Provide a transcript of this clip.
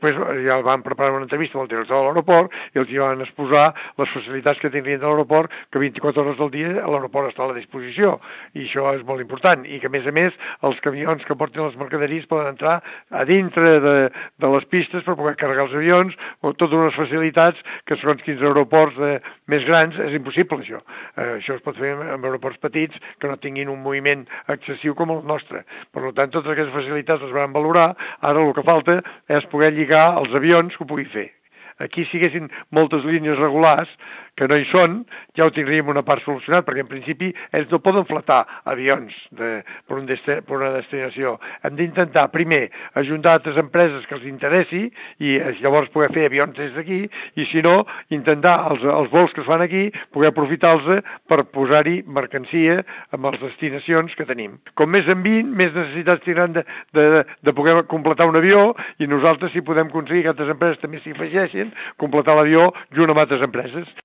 després ja van preparar una entrevista amb el director de l'aeroport i els hi van exposar les facilitats que tindrien de l'aeroport, que 24 hores del dia l'aeroport està a la disposició, i això és molt important, i que a més els camions que porten les mercaderies poden entrar a dintre de les pistes per poder carregar els avions, o totes unes facilitats que segons quins aeroports més grans és impossible, això. Això es pot fer en aeroports petits que no tinguin un moviment excessiu com el nostre. Per tant, totes aquestes facilitats les van valorar. Ara el que falta és poder lligar els avions que ho pugui fer. Aquí, si haguessin moltes línies regulars, que no hi són, ja ho tindríem una part solucionat, perquè en principi ells no poden fletar avions per una destinació. Hem d'intentar, primer, ajuntar altres empreses que els interessi i llavors poder fer avions des d'aquí, i si no, intentar els vols que es fan aquí, poder aprofitar-los per posar-hi mercancia amb les destinacions que tenim. Com més enviïn, més necessitats tindran de poder completar un avió, i nosaltres, si podem aconseguir que altres empreses també s'hi afegeixin, completar l'avió junt amb altres empreses.